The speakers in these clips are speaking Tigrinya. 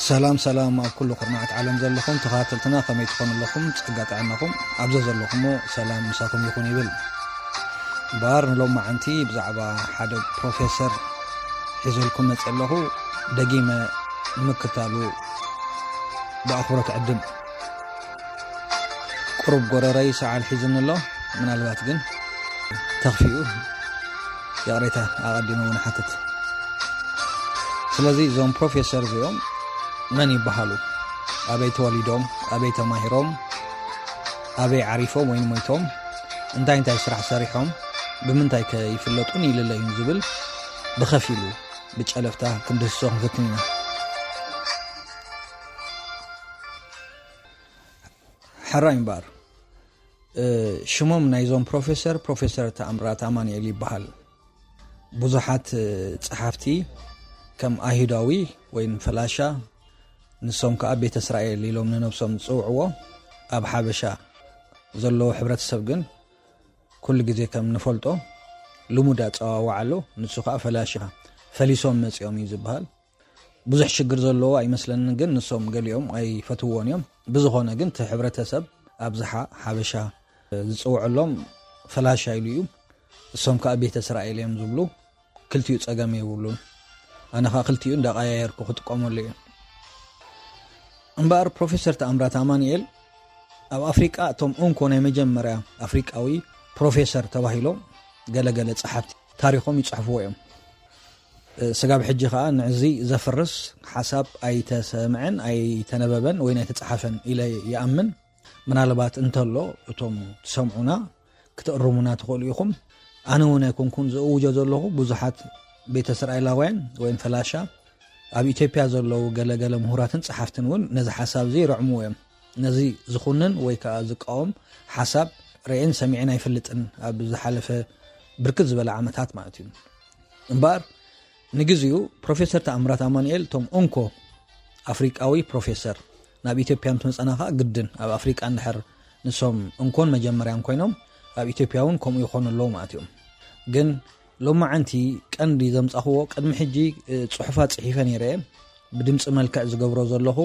ሰላም ሰላም፣ ኣብ ኩሉ ኩርናዓት ዓለም ዘለኹም ተኸታተልትና ከመይ ትኾኑ ኣለኹም? ጸጋ ጥዕናኹም ኣብ ዘዘለኹሞ ሰላም ምሳኹም ይኹን ይብል። እምበኣር ንሎማዓንቲ ብዛዕባ ሓደ ፕሮፌሰር ሒዘልኩም መጽእ ኣለኹ። ደጊመ ንምክታሉ ብኣኽብሮት ዕድም። ቁሩብ ጎረረይ ሰዓል ሒዝኒ ኣሎ። ምናልባት ግን ተኽፊኡ ይቕሬታ ኣቐዲመ እውን ሓትት። ስለዚ እዞም ፕሮፌሰር እዚኦም መን ይበሃሉ? ኣበይ ተወሊዶም? ኣበይ ተማሂሮም? ኣበይ ዓሪፎም ወይ ሞይቶም? እንታይ እንታይ ስራሕ ሰሪሖም? ብምንታይ ከ ይፍለጡን ይልለዩን ዝብል ብኸፊሉ ብጨለፍታ ክንድህስሶ ክንፍትን ኢና። ሕራይ እምበኣር፣ እ፣ ሽሞም ናይዞም ፕሮፌሰር፣ ፕሮፌሰር ተኣምራት ኣማኑኤል ይበሃል። ብዙሓት፣ እ፣ ጸሓፍቲ ከም ኣይሁዳዊ ወይም ፈላሻ፣ ንሶም ከኣ ቤተ እስራኤል ኢሎም ንነብሶም ዝጽውዕዎ፣ ኣብ ሓበሻ ዘለዎ ሕብረተሰብ ግን ኩሉ ግዜ ከም ንፈልጦ ልሙድ ኣጸዋውዓ ኣሎ። ንሱ ከኣ ፈላሻ፣ ፈሊሶም መጺኦም እዩ ዝበሃል። ብዙሕ ሽግር ዘለዎ ኣይመስለንን፣ ግን ንሶም ገሊኦም ኣይፈትውዎን እዮም። ብዝኾነ ግን እቲ ሕብረተሰብ ኣብዝሓ ሓበሻ ዝጽውዐሎም ፈላሻ ኢሉ እዩ። እሶም ከኣ ቤተ እስራኤል እዮም ዝብሉ። ክልቲኡ ጸገም የብሉን። ኣነ ከኣ ክልቲኡ እንዳቀያየርኩ ክጥቀመሉ እየ። እምበኣር ፕሮፌሰር ተኣምራት ኣማኑኤል ኣብ ኣፍሪቃ እቶም እንኮ ናይ መጀመርያ ኣፍሪቃዊ ፕሮፌሰር ተባሂሎም ገለገለ ጸሓፍቲ ታሪኾም ይጽሕፍዎ እዮም። ስጋብ ሕጂ ከኣ ንዕዚ ዘፍርስ ሓሳብ ኣይተሰምዐን፣ ኣይተነበበን ወይ ኣይተጻሓፈን ኢለ ይኣምን። ምናልባት እንተሎ እቶም ትሰምዑና ክትእርሙና ትኽእሉ ኢኹም። ኣነ እውን ኣይኮንኩን ዝእውጆ ዘለኹ፣ ብዙሓት ቤተ እስራኤላውያን ወይም ፈላሻ ኣብ ኢትዮጵያ ዘለዉ ገለገለ ምሁራትን ጸሓፍትን እውን ነዚ ሓሳብ እዚ ይረዕምዎ እዮም። ነዚ ዝኹንን ወይ ከኣ ዝቃወም ሓሳብ ርእየን ሰሚዐን ኣይፈልጥን፣ ኣብ ዝሓለፈ ብርክት ዝበለ ዓመታት ማለት እዩ። እምበኣር ንግዚኡ ፕሮፌሰር ተኣምራት ኣማኑኤል እቶም እንኮ ኣፍሪቃዊ ፕሮፌሰር፣ ናብ ኢትዮጵያ ምስ መጸና ከኣ ግድን ኣብ ኣፍሪቃ እንድሕር ንሶም እንኮን መጀመርያን ኮይኖም ኣብ ኢትዮጵያ እውን ከምኡ ይኾኑ ኣለዉ ማለት እዮም። ግን ሎማዓንቲ ቀንዲ ዘምጻኽዎ፣ ቅድሚ ሕጂ፣ እ፣ ጽሑፋት ጽሒፈ ነይረ እየ። ብድምጺ መልክዕ ዝገብሮ ዘለኹ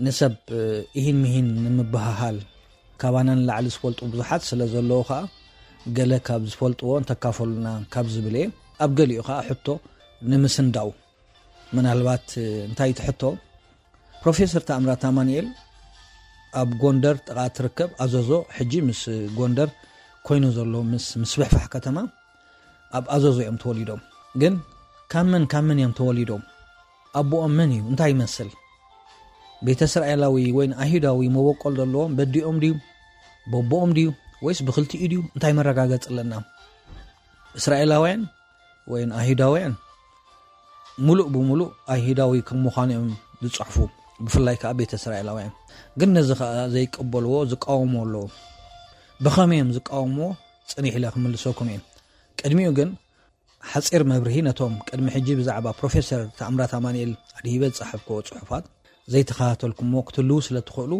ንሰብ፣ እ፣ ኢሂን ምሂን ንምብህሃል፣ ካባና ንላዕሊ ዝፈልጡ ብዙሓት ስለ ዘለዉ ከኣ፣ ገለ ካብ ዝፈልጥዎ እንተካፈሉና ካብ ዝብል እየ። ኣብ ገሊኡ ከኣ ሕቶ ንምስንዳው። ምናልባት፣ እ፣ እንታይ እቲ ሕቶ? ፕሮፌሰር ተኣምራት ኣማኑኤል ኣብ ጎንደር ጥቓ ትርከብ ኣዘዞ፣ ሕጂ ምስ ጎንደር ኮይኑ ዘሎ ምስ ምስፍሕፋሕ ከተማ፣ ኣብ ኣዘዞ እዮም ተወሊዶም። ግን ካብ መን ካብ መን እዮም ተወሊዶም? ኣቦኦም መን እዩ? እንታይ ይመስል? ቤተ እስራኤላዊ ወይ ኣይሁዳዊ መበቆል ዘለዎም በዲኦም ድዩ? በቦኦም ድዩ? ወይስ ብኽልቲኡ ድዩ? እንታይ መረጋገጺ ኣለና? እስራኤላውያን ወይ ኣይሁዳውያን ሙሉእ ብሙሉእ ኣይሁዳዊ ከም ምዃኑ እዮም ዝጽሕፉ፣ ብፍላይ ከኣ ቤተ እስራኤላውያን። ግን ነዚ ከኣ ዘይቀበልዎ፣ ዝቃወምዎ ኣለዉ። ብኸመይ እዮም ዝቃወምዎ? ጽኒሕ ኢለ ክምልሰኩም እየ። ቅድሚኡ ግን ሓጺር መብርሂ ነቶም ቅድሚ ሕጂ ብዛዕባ ፕሮፌሰር ተኣምራት ኣማኑኤል ኣድሂበ ዝጸሓፍክዎ ጽሑፋት ዘይተኸታተልኩምዎ ክትህልዉ ስለ ትኽእሉ፣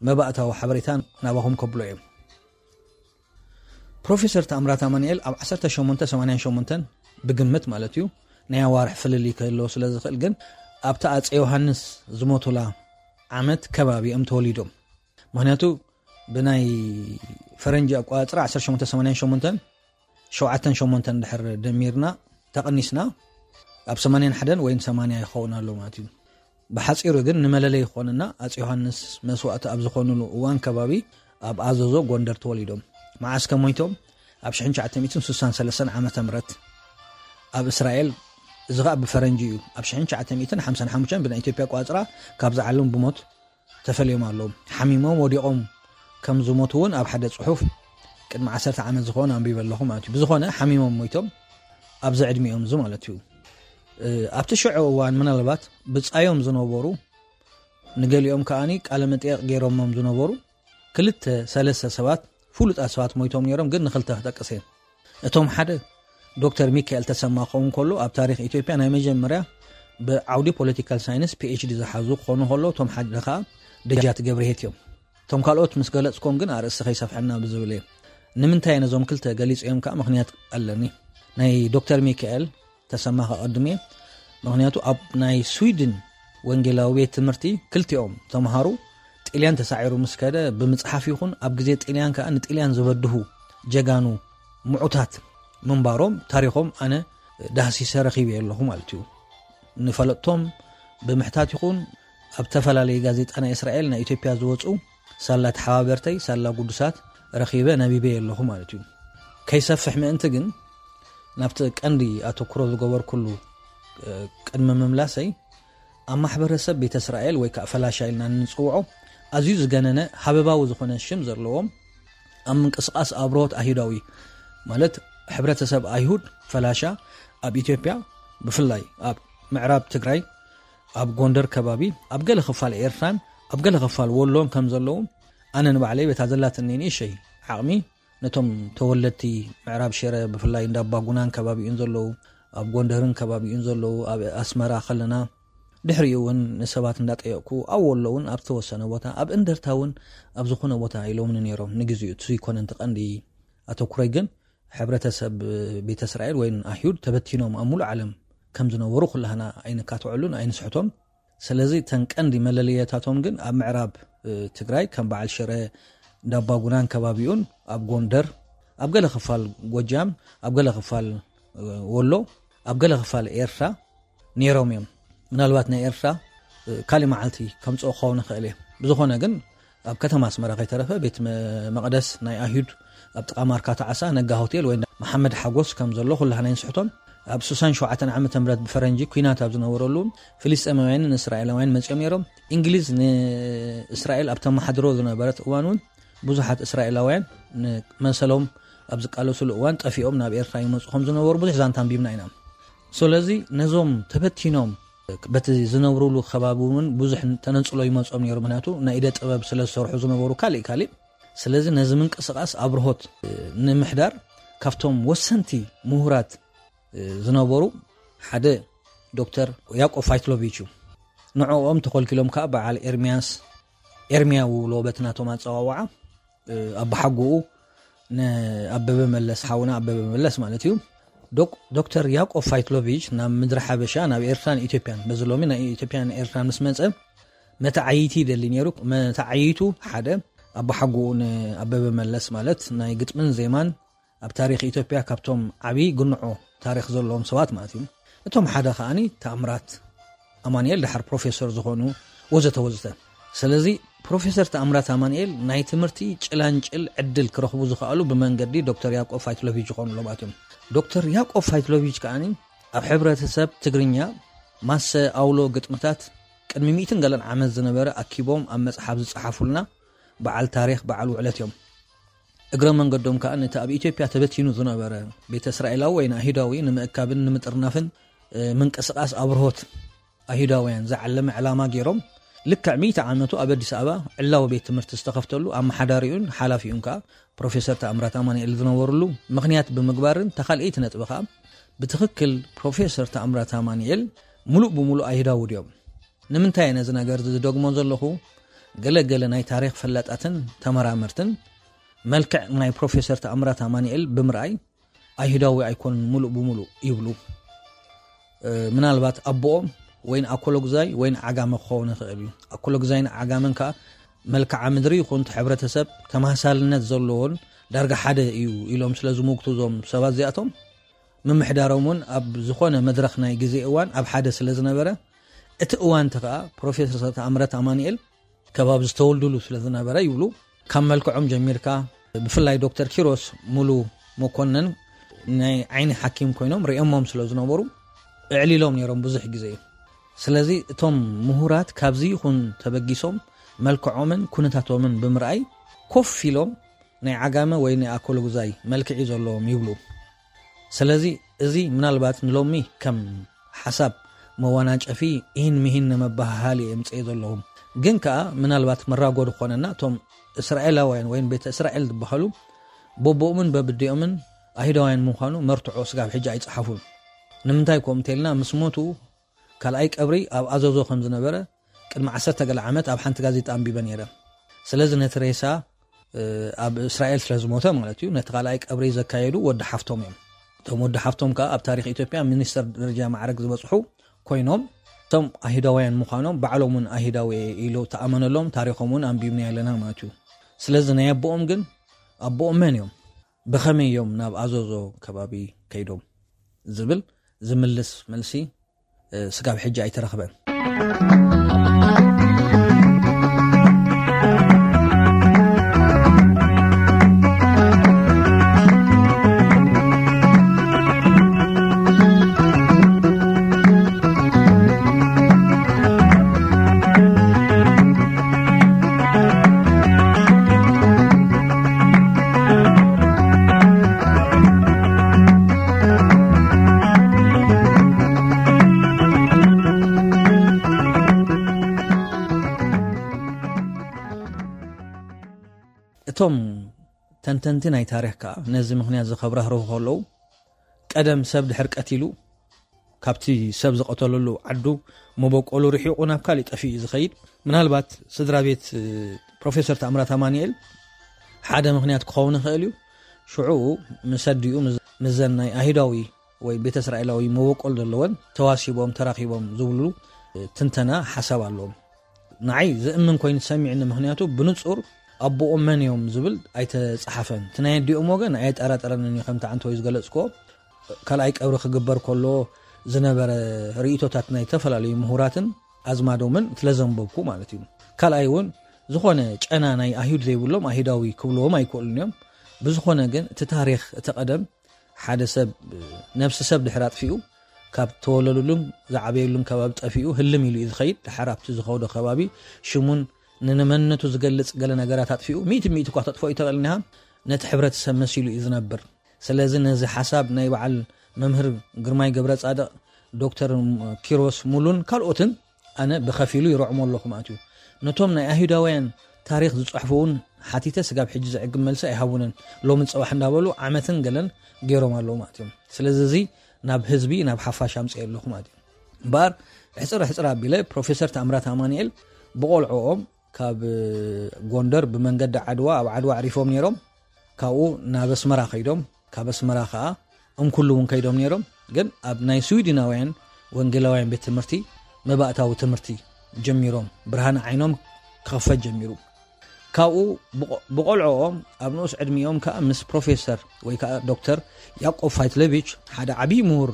መባእታዊ ሓበሬታ ናባኹም ከብሎ እየ። ፕሮፌሰር ተኣምራት ኣማኑኤል ኣብ ዓሰርተ ሸሞንተ ሰማንያን ሸሞንተን ብግምት ማለት እዩ፣ ናይ ኣዋርሕ ፍልልይ ክህልዎ ስለ ዝኽእል፣ ግን ኣብታ ኣጼ ዮሃንስ ዝሞቱላ ዓመት ከባቢ እዮም ተወሊዶም። ምኽንያቱ ብናይ ፈረንጂ ኣቆጻጽራ ዓሰርተ ሸሞንተ ሰማንያን ሸሞንተን፣ ሸውዓተን ሸሞንተን ድሕር ደሚርና፣ ተቐኒስና፣ ኣብ ሰማንያን ሓደን ወይን ሰማንያ ይኸውን ኣሎ ማለት እዩ። ብሓጺሩ ግን ንመለለይ ይኾንና፣ ኣጼ ዮሃንስ መስዋእቲ ኣብ ዝኾኑሉ እዋን ከባቢ ኣብ ኣዘዞ ጎንደር ተወሊዶም። መዓስ ከ ሞይቶም? ኣብ ሽሕን ትሽዓተ ሚእትን ስሳን ሰለስተን ዓመተ ምህረት ኣብ እስራኤል፣ እዚ ኸኣ ብፈረንጂ እዩ። ኣብ ሽሕን ትሽዓተ ሚእትን ሓምሳን ሓሙሽተን ብናይ ኢትዮጵያ ኣቆጻጽራ ካብዚ ዓለም ብሞት ተፈልዮም ኣለዉ። ሓሚሞም ወዲቖም ከም ዝሞቱ እውን ኣብ ሓደ ጽሑፍ ቅድሚ ዓሰርተ ዓመት ዝኾነ ኣንቢበ ኣለኹ ማለት እዩ። ብዝኾነ ሓሚሞም ሞይቶም ኣብዚ ዕድሚኦም እዚ ማለት እዩ። እ፣ ኣብቲ ሽዑ እዋን ምናልባት ብጻዮም ዝነበሩ፣ ንገሊኦም ከኣኒ ቃለ መጠየቕ ገይሮሞም ዝነበሩ ክልተ ሰለስተ ሰባት፣ ፍሉጣት ሰባት ሞይቶም ነይሮም፣ ግን ንኽልተ ክጠቅስ እየ። እቶም ሓደ ዶክተር ሚካኤል ተሰማ ክኸውን ከሎ፣ ኣብ ታሪኽ ኢትዮጵያ ናይ መጀመርያ ብዓውዲ ፖለቲካል ሳይንስ ፒ ኤች ዲ ዝሓዙ ክኾኑ ከሎ፣ እቶም ሓደ ከኣ ደጃት ገብርሄት እዮም። እቶም ካልኦት ምስ ገለጽኮም ግን ኣርእስቲ ከይሰፍሐና ብዝብል እየ። ንምንታይ ነዞም ክልተ ገሊጸዮም ከኣ ምኽንያት ኣለኒ። ናይ ዶክተር ሚካኤል ተሰማ ከቐድም እየ። ምኽንያቱ ኣብ ናይ ስዊድን ወንጌላዊ ቤት ትምህርቲ ክልቲኦም ተምሃሩ ጥልያን ተሳዒሩ ምስ ከደ ብምጽሓፍ ይኹን ኣብ ግዜ ጥልያን ከኣ ንጥልያን ዝበድሁ ጀጋኑ ምዑታት ምንባሮም ታሪኾም ኣነ ዳህሲሰ ረኺበ ኣለኹ ማለት እዩ። ንፈለጥቶም ብምሕታት ይኹን ኣብ ተፈላለየ ጋዜጣ ናይ እስራኤል ናይ ኢትዮጵያ ዝወፁ ሳላ ተሓባበርተይ ሳላ ጉዱሳት ረኺበ ነቢበ ኣለኹ ማለት እዩ። ከይሰፍሕ ምእንቲ ግን ናብቲ ቀንዲ ኣተኩሮ ዝገበርኩሉ ቅድሚ ምምላሰይ ኣብ ማሕበረሰብ ቤተ እስራኤል ወይ ከዓ ፈላሻ ኢልና እንፅውዖ ኣዝዩ ዝገነነ ሃበባዊ ዝኾነ ሽም ዘለዎም ኣብ ምንቅስቃስ ኣብርሆት ኣይሁዳዊ ማለት ሕብረተሰብ ኣይሁድ ፈላሻ ኣብ ኢትዮጵያ ብፍላይ ኣብ ምዕራብ ትግራይ ኣብ ጎንደር ከባቢ ኣብ ገለ ክፋል ኤርትራን ኣብ ገለ ክፋል ወሎን ከም ዘለዉ ኣነ ንባዕለይ በታ ዘላትኒ ንእሸይ ዓቕሚ ነቶም ተወለድቲ ምዕራብ ሽረ ብፍላይ እንዳባጉናን ከባቢኡን ዘለዉ ኣብ ጎንደርን ከባቢኡን ዘለዉ ኣብ ኣስመራ ከለና ድሕሪኡ እውን ንሰባት እንዳጠየቕኩ ኣብ ወሎ እውን ኣብ ዝተወሰነ ቦታ ኣብ እንደርታ እውን ኣብ ዝኾነ ቦታ ኢሎምኒ ነይሮም። ንግዚኡ እቲ ዘይኮነ እንተ ቀንዲ ኣተኩረይ ግን ሕብረተሰብ ቤተ እስራኤል ወይ ኣይሁድ ተበቲኖም ኣብ ሙሉእ ዓለም ከም ዝነበሩ ኩላህና ኣይንካትዐሉን ኣይንስሕቶን። ስለዚ እተን ቀንዲ መለለየታቶም ግን ኣብ ምዕራብ ትግራይ ከም በዓል ሽረ እንዳባጉናን ከባቢኡን ኣብ ጎንደር ኣብ ገለ ክፋል ጎጃም ኣብ ገለ ክፋል ወሎ ኣብ ገለ ክፋል ኤርትራ ነይሮም እዮም። ምናልባት ናይ ኤርትራ ካልእ መዓልቲ ከምፅኦ ክኸውን ይኽእል እየ። ብዝኾነ ግን ኣብ ከተማ ኣስመራ ከይተረፈ ቤት መ- መቕደስ ናይ ኣይሁድ ኣብ ጥቓ ማርካታ ዓሳ ነጋ ሆቴል ወይ መሓመድ ሓጎስ ከም ዘሎ ኩላህና ይንስሕቶን ኣብ ስሳን ሸውዓተን ዓመተ ምህረት ብፈረንጂ ኩናት ኣብ ዝነበረሉ ፍልስጤማውያንን እስራኤላውያን መፂኦም ነይሮም። እንግሊዝ ንእስራኤል ኣብ ተመሓድሮ ዝነበረት እዋን እውን ብዙሓት እስራኤላውያን ንመሰሎም ኣብ ዝቃለሱሉ እዋን ጠፊኦም ናብ ኤርትራ ይመፁ ከም ዝነበሩ ብዙሕ ዛንታ ኣንቢብና ኢና። ስለዚ ነዞም ተበቲኖም በቲ ዝነብሩሉ ከባቢ እውን ብዙሕ ተነፅሎ ይመፆም ነይሩ። ምክንያቱ ናይ ኢደ ጥበብ ስለ ዝሰርሑ ዝነበሩ ካልእ ካልእ። ስለዚ ነዚ ምንቅስቃስ ኣብርሆት ንምሕዳር ካብቶም ወሰንቲ ምሁራት ዝነበሩ ሓደ ዶክተር ያቆብ ፋይትሎቪች እዩ። ንዕኦም ተኾልኪሎም ከዓ በዓል ኤርሚያስ ኤርሚያ ውብሎ በቲ ናቶም ኣፀዋውዓ ኣባሓጎኡ ንኣበበ መለስ ሓውና ኣበበ መለስ ማለት እዩ። ዶክ- ዶክተር ያቆብ ፋይትሎቪች ናብ ምድሪ ሓበሻ ናብ ኤርትራን ኢትዮጵያን በዚ ሎሚ ናይ ኢትዮጵያን ኤርትራን ምስ መፀ መተዓይይቲ ይደሊ ነይሩ። መተዓይይቱ ሓደ ኣባሓጎኡ ንኣበበ መለስ ማለት ናይ ግጥምን ዜማን ኣብ ታሪኽ ኢትዮጵያ ካብቶም ዓብዪ ግንዖ ታሪኽ ዘለዎም ሰባት ማለት እዩ። እቶም ሓደ ከዓኒ ተኣምራት ኣማንኤል ደሓር ፕሮፌሰር ዝኾኑ ወዘተ ወዘተ። ስለዚ ፕሮፌሰር ተኣምራት ኣማንኤል ናይ ትምህርቲ ጭላንጭል ዕድል ክረኽቡ ዝኸኣሉ ብመንገዲ ዶክተር ያቆብ ፋይትሎቪች ዝኾኑ ለባት እዮም። ዶክተር ያቆብ ፋይትሎቪች ከዓኒ ኣብ ሕብረተሰብ ትግርኛ ማሰ ኣውሎ ግጥምታት ቅድሚ ሚእትን ገለን ዓመት ዝነበረ ኣኪቦም ኣብ መጽሓፍ ዝጸሓፉልና በዓል ታሪኽ በዓል ውዕለት እዮም። እግረ መንገዶም ከኣ ነቲ ኣብ ኢትዮጵያ ተበቲኑ ዝነበረ ቤተ እስራኤላዊ ወይ ንኣይሁዳዊ ንምእካብን ንምጥርናፍን ምንቅስቃስ ኣብርሆት ኣይሁዳውያን ዝዓለመ ዕላማ ገይሮም ልክዕ ሚእቲ ዓመቱ ኣብ ኣዲስ ኣበባ ዕላዊ ቤት ትምህርቲ ዝተኸፍተሉ ኣመሓዳሪኡን ሓላፊኡን ከኣ ፕሮፌሰር ተኣምራት ኣማንኤል ዝነበሩሉ ምኽንያት ብምግባርን ተኻልኤይቲ ነጥቢ ከኣ ብትኽክል ፕሮፌሰር ተኣምራት ኣማንኤል ሙሉእ ብሙሉእ ኣይሁዳዊ ድዮም? ንምንታይ ነዚ ነገር ዝደግሞ ዘለኹ? ገለ ገለ ናይ ታሪኽ ፈላጣትን ተመራመርትን መልክዕ ናይ ፕሮፌሰር ተኣምራት ኣማንኤል ብምርኣይ ኣይሁዳዊ ኣይኮኑን ሙሉእ ብሙሉእ ይብሉ። ምናልባት ኣቦኦም ወይን ኣኮሎግዛይ ወይን ዓጋመ ክኸውን ይኽእል እዩ። ኣኮሎግዛይን ዓጋመን ከኣ መልክዓ ምድሪ ይኹን እቲ ሕብረተሰብ ተመሳሳልነት ዘለዎን ዳርጋ ሓደ እዩ ኢሎም ስለ ዝምጉቱ እዞም ሰባት እዚኣቶም ምምሕዳሮም እውን ኣብ ዝኾነ መድረኽ ናይ ግዜ እዋን ኣብ ሓደ ስለ ዝነበረ እቲ እዋን እቲ ከኣ ፕሮፌሰር ተኣምራት ኣማንኤል ከባቢ ዝተወልዱሉ ስለ ዝነበረ ይብሉ። ካብ መልክዖም ጀሚርካ ብፍላይ ዶክተር ኪሮስ ሙሉ መኮነን ናይ ዓይኒ ሓኪም ኮይኖም ሪኦሞም ስለ ዝነበሩ እዕሊሎም ነይሮም ብዙሕ ግዜ። ስለዚ እቶም ምሁራት ካብዚ ይኹን ተበጊሶም መልክዖምን ኩነታቶምን ብምርኣይ ኮፍ ኢሎም ናይ ዓጋመ ወይ ናይ ኣኮሎጉዛይ መልክዒ ዘለዎም ይብሉ። ስለዚ እዚ ምናልባት ንሎሚ ከም ሓሳብ መወናጨፊ ኢን ምሂን ንመበሃሃሊ የምፅእ ዘለኹም። ግን ከኣ ምናልባት መራጎዲ ክኾነና እቶም እስራኤላውያን ወይም ቤተ እስራኤል ዝበሃሉ በቦኦምን በብዲኦምን ኣይሁዳውያን ምዃኑ መርትዖ ስጋብ ሕጂ ኣይጸሓፉን። ንምንታይ ከምኡ እንተልና ምስ ሞቱ ካልኣይ ቀብሪ ኣብ ኣዘዞ ከም ዝነበረ ቅድሚ ዓሰርተ ገለ ዓመት ኣብ ሓንቲ ጋዜጣ ኣንቢበ ነይረ። ስለዚ ነቲ ሬሳ ኣብ እስራኤል ስለ ዝሞተ ማለት እዩ ነቲ ካልኣይ ቀብሪ ዘካየዱ ወዲ ሓፍቶም እዮም። እቶም ወዲ ሓፍቶም ከኣ ኣብ ታሪኽ ኢትዮጵያ ሚኒስተር ደረጃ ማዕረግ ዝበጽሑ ኮይኖም እቶም ኣይሁዳውያን ምዃኖም ባዕሎም እውን ኣይሁዳዊ እየ ኢሉ ተኣመነሎም፣ ታሪኾም እውን ኣንቢብና ኣለና ማለት እዩ። ስለዚ ናይ ኣቦኦም ግን፣ ኣቦኦም መን እዮም? ብኸመይ እዮም ናብ ኣዞዞ ከባቢ ከይዶም? ዝብል ዝምልስ መልሲ፣ እ፣ ስጋብ ሕጂ ኣይተረኽበን። እቶም ተንተንቲ ናይ ታሪኽ ከኣ ነዚ ምኽንያት እዚ ከብራህርሁ ከለዉ፣ ቀደም ሰብ ድሕር ቀቲሉ፣ ካብቲ ሰብ ዝቐተለሉ ዓዱ መበቆሉ ርሒቑ ናብ ካሊእ ጠፊኡ እዩ ዝኸይድ። ምናልባት ስድራ ቤት፣ እ፣ ፕሮፌሰር ተኣምራት ኣማኑኤል ሓደ ምኽንያት ክኸውን ይኽእል እዩ። ሽዑ ምስ ኣዲኡ ምስ፣ ምስዘን ናይ ኣይሁዳዊ ወይ ቤተ እስራኤላዊ መበቆል ዘለወን ተዋሲቦም ተራኺቦም ዝብሉ፣ እ፣ ትንተና ሓሳብ ኣለዎም። ንዓይ ዝእምን ኮይኑ ተሰሚዕኒ፣ ምኽንያቱ ብንጹር ኣቦኦም መን እዮም ዝብል ኣይተጻሓፈን። እቲ ናይ ኣዲኦም ወገን ኣየጠራጠረንን እዩ፣ ከምቲ ዓንተ ወይ ዝገለጽክዎ። ካልኣይ ቀብሪ ክግበር ከሎ ዝነበረ ርእይቶታት ናይ ዝተፈላለዩ ምሁራትን ኣዝማዶምን ስለ ዘንበብኩ ማለት እዩ። ካልኣይ እውን ዝኾነ ጨና ናይ ኣይሁድ ዘይብሎም ኣይሁዳዊ ክብልዎም ኣይክእሉን እዮም። ብዝኾነ ግን እቲ ታሪኽ እቲ ቀደም ሓደ ሰብ ነብሲ ሰብ ድሕር ኣጥፊኡ ካብ ተወለዱሉን ዝዓበየሉን ከባቢ ጠፊኡ ህልም ኢሉ እዩ ዝኸይድ። ድሓር ኣብቲ ዝኸዶ ከባቢ ሽሙን ንመንነቱ ዝገልጽ ገለ ነገራት ኣጥፊኡ፣ ሚእቲ ሚእቲ እኳ ተጥፍኦ ይተኽእል እኒሃ፣ ነቲ ሕብረተሰብ መሲሉ እዩ ዝነብር። ስለዚ ነዚ ሓሳብ ናይ በዓል መምህር ግርማይ ገብረ ጻድቕ፣ ዶክተር ኪሮስ ሙሉን ካልኦትን ኣነ ብኸፊሉ ይረዕሞ ኣለኹ ማለት እዩ። ነቶም ናይ ኣይሁዳውያን ታሪኽ ዝጽሕፉ እውን ሓቲተ፣ ስጋብ ሕጂ ዘዕግብ መልሲ ኣይሃቡንን። ሎምን ጽባሕ እንዳበሉ ዓመትን ገለን ገይሮም ኣለዉ ማለት እዮም። ስለዚ እዚ ናብ ህዝቢ፣ ናብ ሓፋሽ ኣምጽኤ ኣለኹ ማለት እዩ። እምበኣር ሕጽር ሕጽር ኣቢለ ፕሮፌሰር ታምራት ኣማኑኤል ብቆልዕኦም ካብ ጎንደር ብመንገዲ ዓድዋ፣ ኣብ ዓድዋ ኣዕሪፎም ነይሮም። ካብኡ ናብ ኣስመራ ከይዶም፣ ካብ ኣስመራ ከኣ እምኩሉ እውን ከይዶም ነይሮም። ግን ኣብ ናይ ስዊድናውያን ወንጌላውያን ቤት ትምህርቲ መባእታዊ ትምህርቲ ጀሚሮም፣ ብርሃን ዓይኖም ክኸፈት ጀሚሩ። ካብኡ ብቆ-፣ ብቆልዕኦም ኣብ ንኡስ ዕድሚኦም ከኣ ምስ ፕሮፌሰር ወይ ከኣ ዶክተር ያዕቆብ ፋይትለቪች፣ ሓደ ዓብዪ ምሁር፣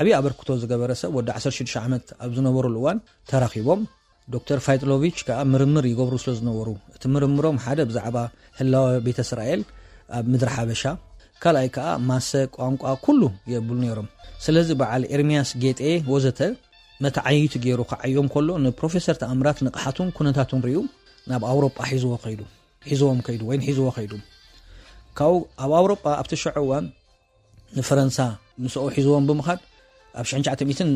ዓብዪ ኣበርክቶ ዝገበረ ሰብ፣ ወዲ ዓሰርተ ሽዱሽተ ዓመት ኣብ ዝነበሩሉ እዋን ተራኺቦም። ዶክተር ፋይትሎቪች ከኣ ምርምር ይገብሩ ስለ ዝነበሩ፣ እቲ ምርምሮም ሓደ ብዛዕባ ህላወ ቤተ እስራኤል ኣብ ምድሪ ሓበሻ፣ ካልኣይ ከኣ ማሰ፣ ቋንቋ፣ ኩሉ የብሉ ነይሮም። ስለዚ በዓል ኤርምያስ ጌጤ ወዘተ መተዓይይቱ ገይሩ ክዓዮም ከሎ፣ ንፕሮፌሰር ተኣምራት ንቕሓቱን ኩነታቱን ርእዩ ናብ ኣውሮጳ ሒዝዎ ከይዱ፣ ሒዝዎም ከይዱ ወይ ሒዝዎ ከይዱ። ካብኡ ኣብ ኣውሮጳ ኣብቲ ሽዑ እዋን ንፈረንሳ ምስኡ ሒዝዎም ብምኻድ፣ ኣብ ሽሕን ትሽዓተ ሚእትን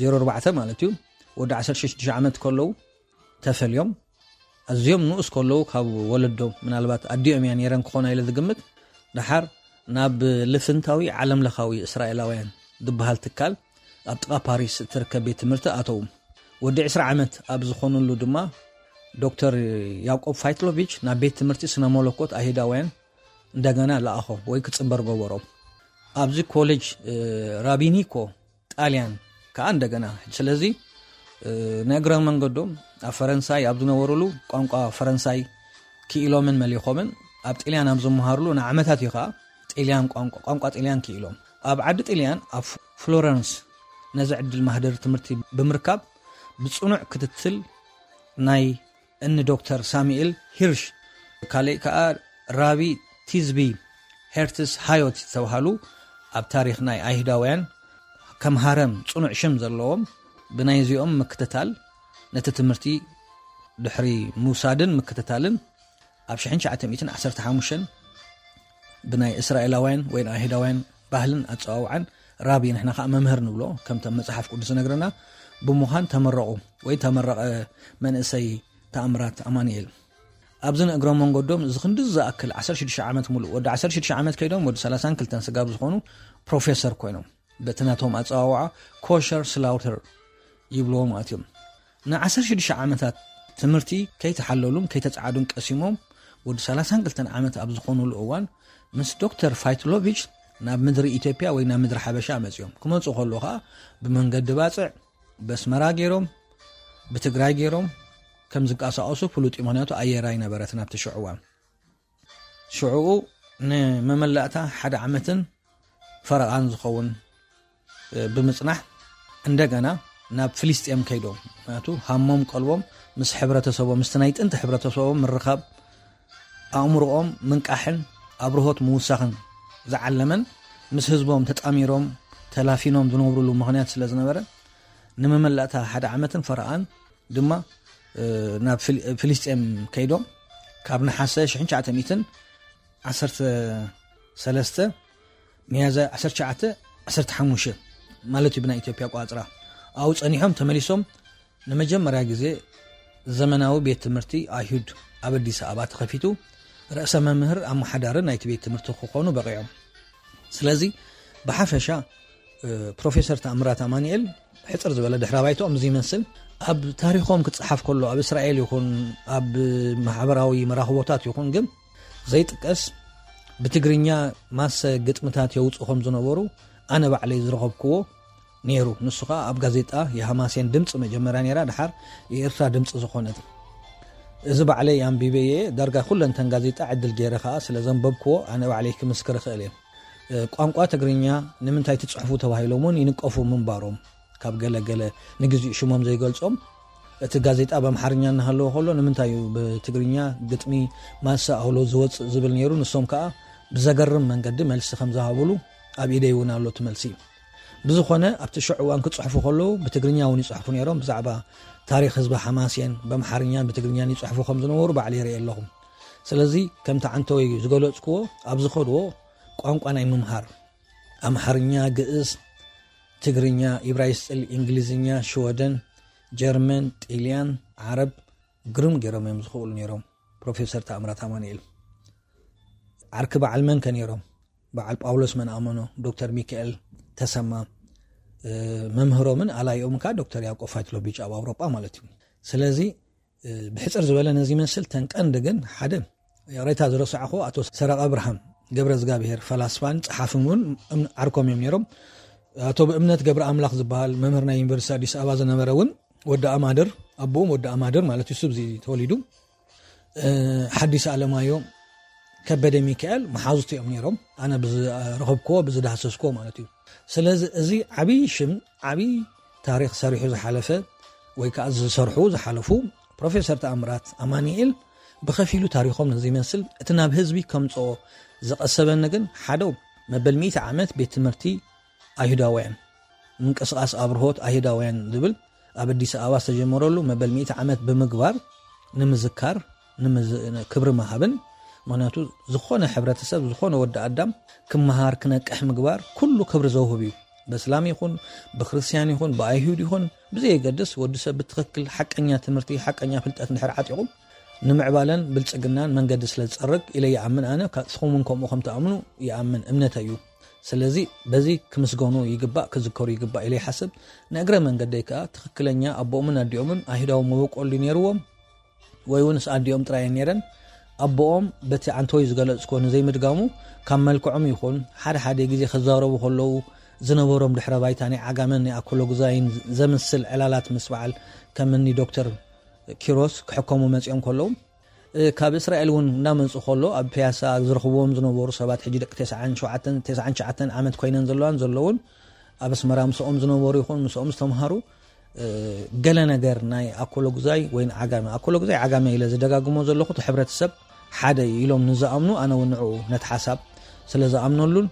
ዜሮ ኣርባዕተ ማለት እዩ፣ ወዲ ዓሰርተ ሽዱሽተ ዓመት ከለዉ ተፈልዮም። ኣዝዮም ንኡስ ከለዉ ካብ ወለዶም፣ ምናልባት ኣዲኦም እያ ነይረን ክኾና ኢለ ዝግምት፣ ደሓር ናብ ልፍንታዊ ዓለምለኻዊ እስራኤላውያን ዝበሃል ትካል ኣብ ጥቓ ፓሪስ እትርከብ ቤት ትምህርቲ ኣተዉ። ወዲ ዕስራ ዓመት ኣብ ዝኾኑሉ ድማ ዶክተር ያዕቆብ ፋይትሎቪች ናብ ቤት ትምህርቲ ስነ መለኮት ኣይሁዳውያን እንደገና ለኣኾ ወይ ክጽንበር ገበሮ። ኣብዚ ኮሌጅ፣ እ፣ ራቢኒኮ ጣልያን ከኣ እንደገና። ስለዚ፣ እ፣ ንእግረ መንገዶም ኣብ ፈረንሳይ ኣብ ዝነበሩሉ ቋንቋ ፈረንሳይ ክኢሎምን መሊኾምን፣ ኣብ ጥልያን ኣብ ዝመሃሩሉ ንዓመታት እዩ ከኣ ጥልያን ቋንቋ፣ ቋንቋ ጥልያን ክኢሎም። ኣብ ዓዲ ጥልያን ኣብ ፍሎረንስ ነዚ ዕድል ማህደር ትምህርቲ ብምርካብ ብጽኑዕ ክትትል ናይ እኒ ዶክተር ሳሙኤል ሂርሽ፣ ካልእ ከኣ ራቢ ቲዝቢ ሄርትስ ሃዮት ዝተባህሉ ኣብ ታሪኽ ናይ ኣይሁዳውያን ከም ሃረም ጽኑዕ ሽም ዘለዎም፣ ብናይዚኦም ምክትታል ነቲ ትምህርቲ ድሕሪ ምውሳድን ምክትታልን ኣብ ሽሕን ትሽዓተ ሚእትን ዓሰርተ ሓሙሽተን ብናይ እስራኤላውያን ወይ ኣይሁዳውያን ባህልን ኣጸዋውዓን ራቢ፣ ንሕና ከኣ መምህር ንብሎ፣ ከምቲ መጽሓፍ ቅዱስ ዝነግረና፣ ብምዃን ተመረቑ ወይ ተመረቐ መንእሰይ ተኣምራት ኣማኑኤል። ኣብዚ ንእግረ መንገዶም እዚ ክንዲ ዝኣክል ዓሰርተ ሽዱሽተ ዓመት ሙሉእ፣ ወዲ ዓሰርተ ሽዱሽተ ዓመት ከይዶም ወዲ ሰላሳን ክልተን ስጋብ ዝኾኑ ፕሮፌሰር ኮይኖም፣ በቲ ናቶም ኣጸዋውዓ ኮሸር ስላውተር ይብልዎ ማለት እዮም። ንዓሰርተ ሽዱሽተ ዓመታት ትምህርቲ ከይተሓለሉን ከይተጻዓዱን ቀሲሞም፣ ወዲ ሰላሳን ክልተን ዓመት ኣብ ዝኾኑሉ እዋን ምስ ዶክተር ፋይትሎቪች ናብ ምድሪ ኢትዮጵያ ወይ ናብ ምድሪ ሓበሻ መጺኦም። ክመጹ ከሎ ኸኣ ብመንገዲ ባጽዕ በስመራ ገይሮም፣ ብትግራይ ገይሮም ከም ዝንቀሳቐሱ ፍሉጥ እዩ። ምክንያቱ ኣየር ኣይነበረትን ኣብቲ ሽዑ እዋን። ሽዑኡ ንመመላእታ ሓደ ዓመትን ፈረቓን ዝኸውን ብምጽናሕ፣ እንደገና ናብ ፍልስጤም ከይዶም፣ ምክንያቱ ሃሞም ቀልቦም ምስ ሕብረተሰቦም፣ ምስቲ ናይ ጥንቲ ሕብረተሰቦም ምርኻብ፣ ኣእምሮኦም ምንቃሕን ኣብርሆት ምውሳኽን ዝዓለመን፣ ምስ ህዝቦም ተጣሚሮም ተላፊኖም ዝነብሩሉ ምኽንያት ስለ ዝነበረ፣ ንመመላእታ ሓደ ዓመትን ፈረቓን ድማ ናብ ፍልስጤም ከይዶም፣ ካብ ነሓሰ ሽሕን ትሽዓተ ሚእትን ዓሰርተ ሰለስተ፣ ሚያዝያ ዓሰርተ ትሽዓተ ዓሰርተ ሓሙሽተ ማለት እዩ ብናይ ኢትዮጵያ ኣቆጻጽራ። ኣብኡ ጸኒሖም ተመሊሶም ንመጀመርያ ግዜ ዘመናዊ ቤት ትምህርቲ ኣይሁድ ኣብ ኣዲስ ኣበባ ተኸፊቱ፣ ርእሰ መምህር ኣመሓዳሪ ናይቲ ቤት ትምህርቲ ክኾኑ በቒዖም። ስለዚ ብሓፈሻ ፕሮፌሰር ተኣምራት ኣማኑኤል ሕጽር ዝበለ ድሕረ ባይትኦም እዚ ይመስል። ኣብ ታሪኾም ክጸሓፍ ከሎ ኣብ እስራኤል ይኹን ኣብ ማሕበራዊ መራኽቦታት ይኹን ግን ዘይጥቀስ፣ ብትግርኛ ማሰ ግጥምታት የውጽኡ ከም ዝነበሩ ኣነ ባዕለይ ዝረኸብክዎ ነይሩ። ንሱ ኸኣ ኣብ ጋዜጣ የሃማስያን ድምጺ መጀመርያ ነይራ፣ ድሓር የኤርትራ ድምጺ ዝኾነት። እዚ ባዕለይ ኣንቢበየ፣ ዳርጋ ኩለንተን ጋዜጣ ዕድል ገይረ ኸኣ ስለ ዘንበብክዎ ኣነ ባዕለይ ክምስክር እኽእል እየ። ቋንቋ ትግርኛ ንምንታይ ትጽሕፉ ተባሂሎም እውን ይንቀፉ ምንባሮም፣ ካብ ገለ ገለ ንግዚኡ ሽሞም ዘይገልጾም፣ እቲ ጋዜጣ ብኣምሓርኛ እናሃለወ ከሎ ንምንታይ እዩ ብትግርኛ ግጥሚ ማሰ ኣውሎ ዝወጽእ ዝብል ነይሩ። ንሶም ከኣ ብዘገርም መንገዲ መልሲ ከም ዝሃብሉ ኣብ ኢደይ እውን ኣሎ እቲ መልሲ። ብዝኾነ ኣብቲ ሽዑ እዋን ክጽሕፉ ከለዉ ብትግርኛ እውን ይጽሕፉ ነይሮም። ብዛዕባ ታሪኽ ህዝቢ ሓማሴን ብኣምሓርኛን ብትግርኛን ይጽሕፉ ከም ዝነበሩ ባዕለይ ይርኢ ኣለኹ። ስለዚ ከምቲ ዓንተወይ ዝገለጽክዎ ኣብ ዝኸድዎ ቋንቋ ናይ ምምሃር ኣምሓርኛ፣ ግእዝ፣ ትግርኛ፣ ኢብራይስጥል፣ እንግሊዝኛ፣ ሽወደን፣ ጀርመን፣ ጢልያን፣ ዓረብ ግርም ገይሮም እዮም ዝኽእሉ ነይሮም። ፕሮፌሰር ተኣምራት ኣማኑኤል ዓርኪ በዓል መን ከ ነይሮም? በዓል ጳውሎስ መንኣመኖ፣ ዶክተር ሚካኤል ተሰማ፣ እ፣ መምህሮምን ኣላይኦምን ከኣ ዶክተር ያዕቆብ ፋይትሎቪች ኣብ ኣውሮጳ ማለት እዩ። ስለዚ፣ እ፣ ብሕጽር ዝበለ ነዚ ይመስል። ተን ቀንዲ ግን ሓደ ይቕሬታ ዝረሳዕኹ ኣቶ ሰረቐ ብርሃን ገብረ እግዚኣብሔር ፈላስፋን ጸሓፍን እውን እም-፣ ዓርኮም እዮም ነይሮም። ኣቶ ብእምነት ገብረ ኣምላኽ ዝበሃል መምህር ናይ ዩኒቨርሲቲ ኣዲስ ኣበባ ዝነበረ እውን ወዲ ኣማድር፣ ኣቦኦም ወዲ ኣማድር ማለት እዩ፣ እሱ ኣብዚ ተወሊዱ። እ፣ ሓዲስ ኣለማዮ፣ ከበደ ሚካኤል መሓዙት እዮም ነይሮም፣ ኣነ ብዝረኸብክዎ ብዝዳህሰስክዎ ማለት እዩ። ስለዚ እዚ ዓብዪ ሽም፣ ዓብዪ ታሪኽ ሰሪሑ ዝሓለፈ ወይ ከዓ ዝሰርሑ ዝሓለፉ ፕሮፌሰር ተኣምራት ኣማኑኤል ብኸፊሉ ታሪኾም ነዚ ይመስል። እቲ ናብ ህዝቢ ከምጽኦ ዝቐሰበኒ ግን ሓደ መበል ሚእቲ ዓመት ቤት ትምህርቲ ኣይሁዳውያን፣ ምንቅስቓስ ኣብርሆት ኣይሁዳውያን ዝብል ኣብ ኣዲስ ኣበባ ዝተጀመረሉ መበል ሚእቲ ዓመት ብምግባር ንምዝካር፣ ንምዝ-፣ ክብሪ ምሃብን፣ ምኽንያቱ ዝኾነ ሕብረተሰብ፣ ዝኾነ ወዲ ኣዳም ክመሃር፣ ክነቅሕ ምግባር ኩሉ ክብሪ ዘውህብ እዩ። በእስላም ይኹን፣ ብክርስትያን ይኹን፣ ብኣይሁድ ይኹን፣ ብዘየገድስ ወዲ ሰብ ብትኽክል ሓቀኛ ትምህርቲ፣ ሓቀኛ ፍልጠት እንድሕር ዓጢቑ ንምዕባለን ብልጽግናን መንገዲ ስለ ዝጸርግ ኢለ ይኣምን። ኣነ ካ-፣ ንስኹም እውን ከምኡ ከም ትኣምኑ ይኣምን፣ እምነተይ እዩ። ስለዚ በዚ ክምስገኑ ይግባእ፣ ክዝከሩ ይግባእ ኢለ ይሓስብ። ንእግረ መንገደይ ከኣ ትኽክለኛ ኣቦኦምን ኣዲኦምን ኣይሁዳዊ መበቆል ድዩ ነይርዎም ወይ እውንስ ኣዲኦም ጥራይ እየን ነይረን? ኣቦኦም በቲ ዓንተወይ ዝገለጽክዎ ንዘይምድጋሙ ካብ መልክዖም ይኹን ሓደ ሓደ ግዜ ክዛረቡ ከለዉ ዝነበሮም ድሕረ ባይታ ናይ ዓጋመን ናይ ኣኮሎጉዛይን ዘምስል ዕላላት ምስ በዓል ከም እኒ ዶክተር ኪሮስ ክሕከሙ መጺኦም ከለዉ፣ እ፣ ካብ እስራኤል እውን እናመጹ ከሎ ኣብ ፒያሳ ዝረኽብዎም ዝነበሩ ሰባት፣ ሕጂ ደቂ ተስዓን ሸውዓተን፣ ተስዓን ትሽዓተን ዓመት ኮይነን ዘለዋን ዘለውን፣ ኣብ ኣስመራ ምስኦም ዝነበሩ ይኹን ምስኦም ዝተምሃሩ፣ እ፣ ገለ ነገር ናይ ኣኮሎጉዛይ ወይ ንዓጋመ፣ ኣኮሎጉዛይ ዓጋመ ኢለ ዝደጋግሞ ዘለኹ፣ እቲ ሕብረተሰብ ሓደ እዩ ኢሎም ንዝኣምኑ፣ ኣነ እውን ንዕኡ ነቲ ሓሳብ ስለ ዝኣምነሉን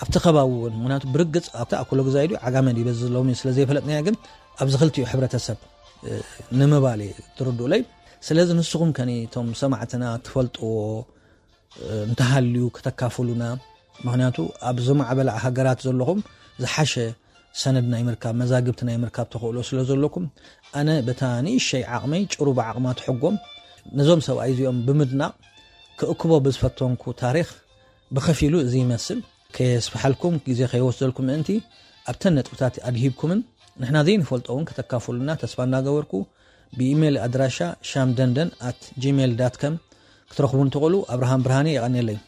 ኣብቲ ከባቢ እውን፣ ምኽንያቱ ብርግጽ ኣብቲ ኣኮሎጉዛይ ድዩ ዓጋመ ድዩ በዚ ሎሚ ስለ ዘይፈለጥናዮ፣ ግን ኣብዚ ክልቲኡ ሕብረተሰብ፣ እ፣ ንምባል እየ ትርድኡለይ። ስለዚ ንስኹም ከ ነቶም ሰማዕትና ትፈልጥዎ፣ እ፣ እንተሃልዩ ከተካፍሉና፣ ምኽንያቱ ኣብ ዝማዕበላ ሃገራት ዘለኹም ዝሓሸ ሰነድ ናይ ምርካብ፣ መዛግብቲ ናይ ምርካብ ተኽእሎ ስለ ዘለኩም፣ ኣነ በታ ንእሸይ ዓቕመይ ጭሩ ብዓቕማ ትሕጎም ነዞም ሰብኣይ እዚኦም ብምድናቕ ክእክቦ ብዝፈተንኩ ታሪኽ ብኸፊሉ እዚ ይመስል። ከየስፍሓልኩም፣ ግዜ ከይወስደልኩም ምእንቲ ኣብተን ነጥብታት ኣድሂብኩምን ንሕና ዘይንፈልጦ እውን ከተካፍሉና ተስፋ እናገበርኩ ብኢሜይል ኣድራሻ ሻምደንደን ኣት ጂሜይል ዳት ከም ክትረኽቡን ትኽእሉ። ኣብርሃም ብርሃኔ፣ የቐንየለይ።